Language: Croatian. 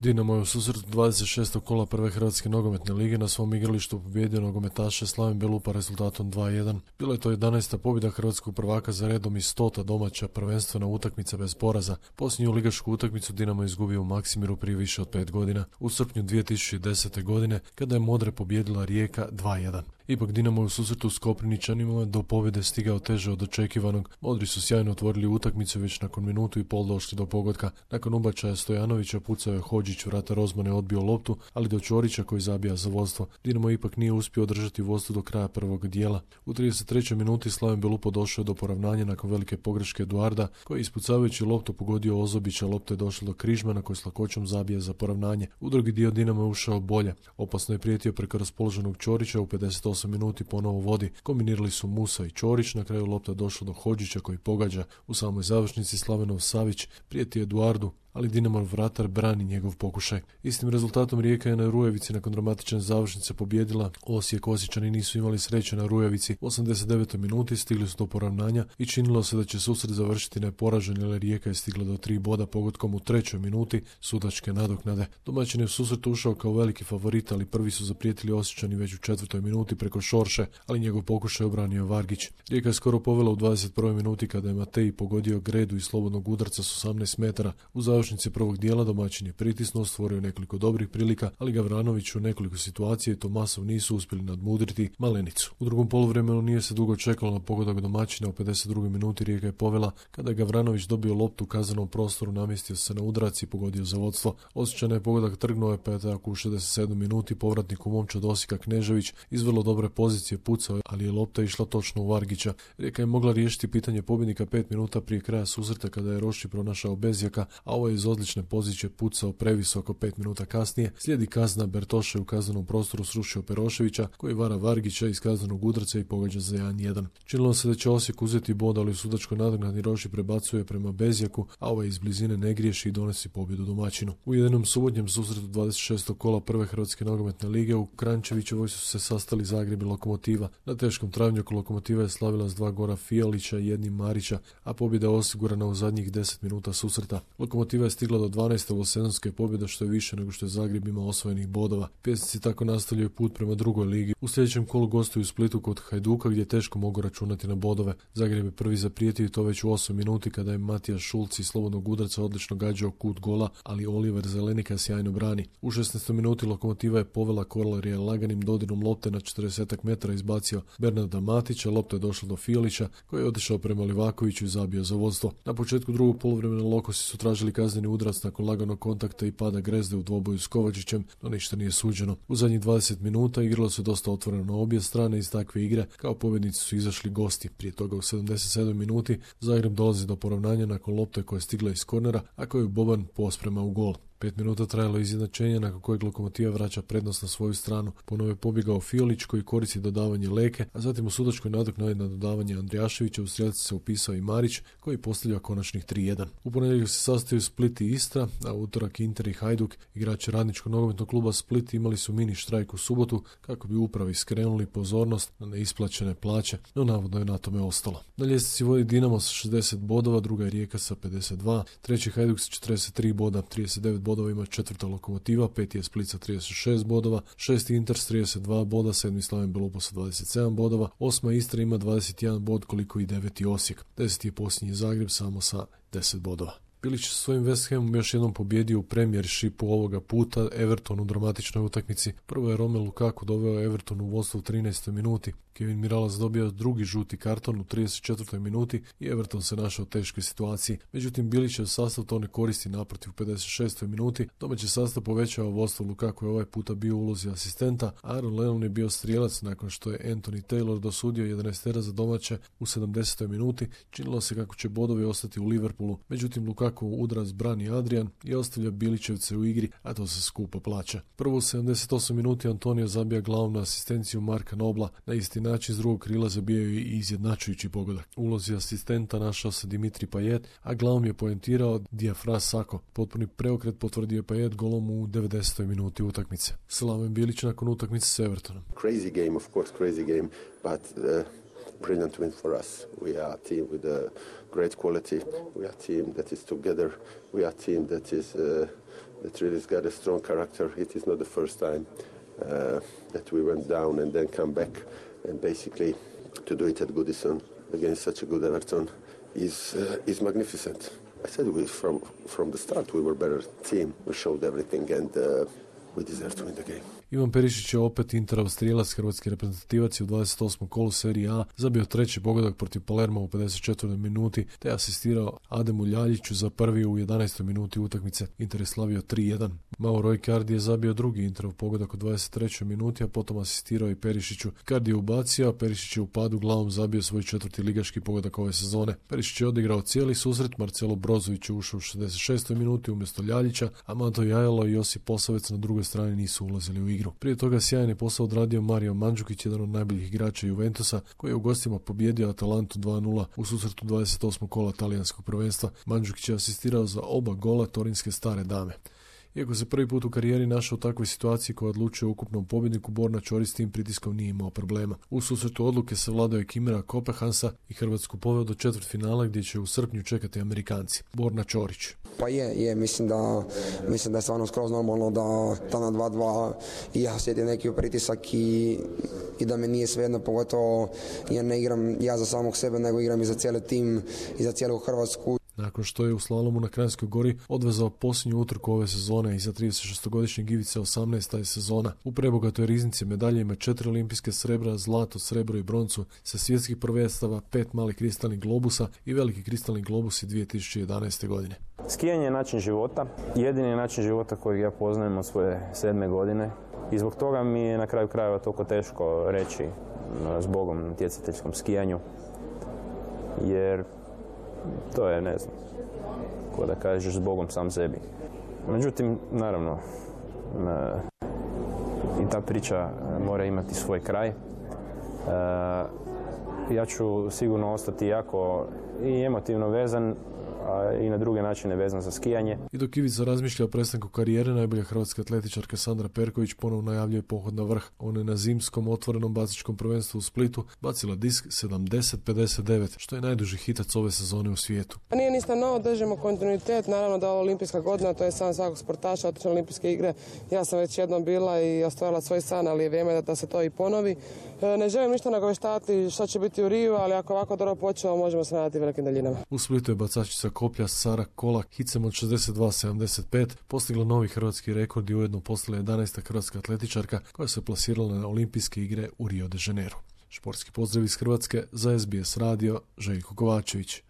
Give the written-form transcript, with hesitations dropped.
Dinamo je u susretu 26. kola prve Hrvatske nogometne lige na svom igralištu pobjedio nogometaše Slaven Belupa rezultatom 2:1. Bila je to 11. pobjeda hrvatskog prvaka za redom i 100. domaća prvenstvena utakmica bez poraza. Posljednju ligašku utakmicu Dinamo je izgubio u Maksimiru prije više od 5 godina, u srpnju 2010. godine, kada je Modre pobijedila Rijeka 2:1. Ipak Dinamo je u susretu s Koprivničanima do pobjede stigao teže od očekivanog. Modri su sjajno otvorili utakmicu i već nakon minutu i pol došli do pogotka. Nakon ubačaja Stojanovića pucao je Hodžić, vrata Rozmane odbio loptu, ali do Ćorića koji zabija za vodstvo. Dinamo ipak nije uspio održati vodstvo do kraja prvog dijela. U 33. minuti Slaven Belupo došao do poravnanja nakon velike pogreške Eduarda, koji je ispucavajući loptu pogodio Ozobića, lopta je došla do Križmana koji s lakoćom zabija za poravnanje. U drugi dio Dinamo je ušao bolje. Opasno je prijetio preko raspoloženog Ćorića, u 58 minuti ponovo vodi. Kombinirali su Musa i Ćorić, na kraju lopta došla do Hodžića koji pogađa. U samoj završnici Slavenov Savić prijeti Eduardu, ali Dinamov vratar brani njegov pokušaj. Istim rezultatom Rijeka je na Rujevici nakon dramatične završnice pobjedila. Osiječani nisu imali sreće na Rujevici. U 89. minuti stigli su do poravnanja i činilo se da će susret završiti neporažen, ali Rijeka je stigla do 3 boda pogodkom u 3. minuti sudačke nadoknade. Domaćin je u susret ušao kao veliki favorit, ali prvi su zaprijetili Osiječani već u 4. minuti preko Šorše, ali njegov pokušaj obranio Vargić. Rijeka je skoro povela u 21. minuti kada je Matej pogodio Gredu iz slobodnog udarca s 18 metara. U završnici prvog dijela domaćin je pritisnuo, stvorio nekoliko dobrih prilika, ali Gavranović u nekoliko situacija i Tomasov nisu uspjeli nadmudriti Malenicu. U drugom poluvremenu nije se dugo čekalo na pogodak domaćina. U 52. minuti Rijeka je povela kada je Gavranović dobio loptu u kaznenom prostoru, namjestio se na udarac i pogodio za vodstvo. Osjećana je pogodak trgnuo je pa je tako u 67. minuti povratnik u momčad Osijeka Knežević iz vrlo dobre pozicije pucao, ali je lopta išla točno u Vargića. Rijeka je mogla riješiti pitanje pobjednika 5 minuta prije kraja susreta kada je Roši pronašao Bezjaka, a ovo je iz odlične pozicije pucao previsoko 5 minuta kasnije. Slijedi kazna, Bertoše u kaznenom prostoru srušio Peroševića koji vara Vargića iz kaznenog udarca i pogađa za 1:1. Činilo se da će Osijek uzeti bod, ali u sudačkoj nadoknadi Roši prebacuje prema Bezjaku, a ovaj iz blizine ne griješi i donosi pobjedu domaćinu. U jednom subotnjem susretu 26. kola prve Hrvatske nogometne lige u Kranjčevićevoj su se sastali Zagreb i Lokomotiva. Na teškom travnjaku Lokomotiva je slavila s 2 gora Fijalića i 1 Marića, a pobjeda je osigurana u zadnjih 10 minuta susreta. Lokomotiva je stigla do 12. sezonske pobjede, što je više nego što je Zagreb imao osvojenih bodova. Pjesnici tako nastavljaju put prema drugoj ligi. U sljedećem kolu gostuju u Splitu kod Hajduka gdje teško mogu računati na bodove. Zagreb je prvi zaprijetio i to već u 8 minuti kada je Matija Šulc iz slobodnog udarca odlično gađao kut gola, ali Oliver Zelenika sjajno brani. U 16. minuti Lokomotiva je povela Korlarija laganim dodirom lopte na 40 metara izbacio Bernarda Matića, lopta je došla do Fijalića koji je otišao prema Livakoviću i zabio za vodstvo. Na početku drugog poluvremena Lokosi su tražili kazneni udarac nakon laganog kontakta i pada Grezde u dvoboju s Kovačićem, no ništa nije suđeno. U zadnjih 20 minuta igralo se dosta otvoreno na obje strane. Iz takve igre kao pobjednici su izašli gosti. Prije toga u 77 minuti Zagreb dolazi do poravnanja nakon lopte koja je stigla iz kornera, a koju Boban posprema u gol. 5 minuta trajalo izjednačenje nakon kojeg Lokomotiva vraća prednost na svoju stranu. Ponovo je pobjegao Fiolić koji koristi dodavanje Leke, a zatim u sudačkoj nadoknadi na dodavanje Andrijaševića u strelci se upisao i Marić koji postavlja konačnih 3:1. U ponedjeljak se sastaju Split i Istra, a u utorak Inter i Hajduk. Igrači radničkog nogometnog kluba Split imali su mini štrajk u subotu kako bi upravi skrenuli pozornost na neisplaćene plaće, no navodno je na tome ostalo. Na ljestvici vodi Dinamo sa 60 bodova, druga je Rijeka sa 52, treći Hajduk sa 43 boda, 39 bodova ima četvrta Lokomotiva, peti je Split sa 36 bodova, šesti Inter s 32 boda, sedmi Slaven Belupo sa 27 bodova, osma Istra ima 21 bod koliko i deveti Osijek, 10. je posljednji Zagreb samo sa 10 bodova. Bilić sa svojim West Hamom još jednom pobjedio u Premiershipu ovoga puta Everton u dramatičnoj utakmici. Prvo je Romelu Lukaku doveo Everton u vodstvo u 13. minuti. Kevin Mirallas dobio drugi žuti karton u 34. minuti i Everton se našao u teškoj situaciji. Međutim, Bilićev sastav to ne koristi, naprotiv u 56. minuti. Domaći sastav povećao vodstvo. Lukaku je ovaj puta bio u ulozi asistenta. Aaron Lennon je bio strijelac nakon što je Anthony Taylor dosudio 11 za domaće u 70. minuti. Činilo se kako će bodovi ostati u Liverpoolu. Međutim, Lukaku udarac brani Adrian i ostavlja Bilićevce u igri, a to se skupo plaća. Prvo u 78 minuti Antonio zabija glavom na asistenciju Marka Nobla. Na isti način iz drugog krila zabijao i izjednačujući pogodak. U ulozi asistenta našao se Dimitri Payet, a glavom je poentirao Diafra Sako. Potpuni preokret potvrdio Payet golom u 90. minuti utakmice. Slaven Bilić nakon utakmice s Evertonom. Crazy game, of course, crazy game, but brilliant win for us. We are a team with a great quality. We are a team that is together. We are a team that is that really has got a strong character. It is not the first time that we went down and then come back, and basically to do it at Goodison against such a good Everton is magnificent. I said from the start we were a better team. We showed everything and we deserve to win the game. Ivan Perišić je opet Interov strijelac, hrvatski reprezentativac, u 28. kolu Serije A zabio treći pogodak protiv Palerma u 54. minuti, te asistirao Ademu Ljaljiću za prvi u 11. minuti utakmice. Inter je slavio 3-1. Mauro Icardi je zabio drugi Interov pogodak u 23. minuti, a potom asistirao i Perišiću. Icardi je ubacio, a Perišić je u padu glavom zabio svoj četvrti ligaški pogodak ove sezone. Perišić je odigrao cijeli susret, Marcelo Brozović je ušao u 66. minuti umjesto Ljaljića, a Mato Jajalo i Josip Posavec na drugoj strani nisu ulazili u igru. Prije toga sjajan je posao odradio Mario Mandžukić, jedan od najboljih igrača Juventusa, koji je u gostima pobijedio Atalantu 2-0 u susretu 28. kola talijanskog prvenstva. Mandžukić je asistirao za oba gola torinske stare dame. Iako se prvi put u karijeri našao u takvoj situaciji koja odlučuje o ukupnom pobjedniku, Borna Ćorić s tim pritiskom nije imao problema. U susretu odluke savladao je Kimera Kopehansa i Hrvatsku poveo do četvrtfinala gdje će u srpnju čekati Amerikanci. Borna Ćorić. Pa mislim da je stvarno skroz normalno da na 2-2 i ja osjetim neki pritisak i da mi nije svejedno, pogotovo jer ne igram ja za samog sebe, nego igram i za cijeli tim i za cijelu Hrvatsku. Nakon što je u slalomu na Kranjskoj gori odvezao posljednju utrku ove sezone i za 36-godišnjeg Ivice 18. je sezona. U prebogatoj riznici medalje ima 4 olimpijske srebra, zlato, srebro i broncu, sa svjetskih prvenstava, 5 malih kristalnih globusa i veliki kristalni globusi 2011. godine. Skijanje je način života, jedini način života kojeg ja poznajem od svoje 7. godine i zbog toga mi je na kraju krajeva toliko teško reći zbogom natjecateljskom skijanju, jer to je, ne znam, ko da kažeš zbogom sam sebi. Međutim, naravno, i ta priča mora imati svoj kraj. Ja ću sigurno ostati jako i emotivno vezan, a i na druge načine vezan za skijanje. I dok Ivica razmišlja o prestanku karijere, najbolja hrvatska atletičarka Sandra Perković ponovno najavljuje pohod na vrh. Ona je na zimskom otvorenom bacačkom prvenstvu u Splitu bacila disk 70-59, što je najduži hitac ove sezone u svijetu. Nije ništa novo, držimo kontinuitet, naravno da je ovo olimpijska godina, to je san svakog sportaša, otići na olimpijske igre. Ja sam već jednom bila i ostvarila svoj san, ali je vrijeme da se to i ponovi. Ne želim ništa nagoveštavati što će biti u Riju, ali ako ovako dobro počeo, možemo se nadati velikim daljinama. U Splitu je bacačica koplja Sara Kolak hicem od 62-75 postigla novi hrvatski rekord i ujedno postala 11. hrvatska atletičarka koja se plasirala na olimpijske igre u Rio de Janeiro. Športski pozdrav iz Hrvatske za SBS radio, Željko Kovačević.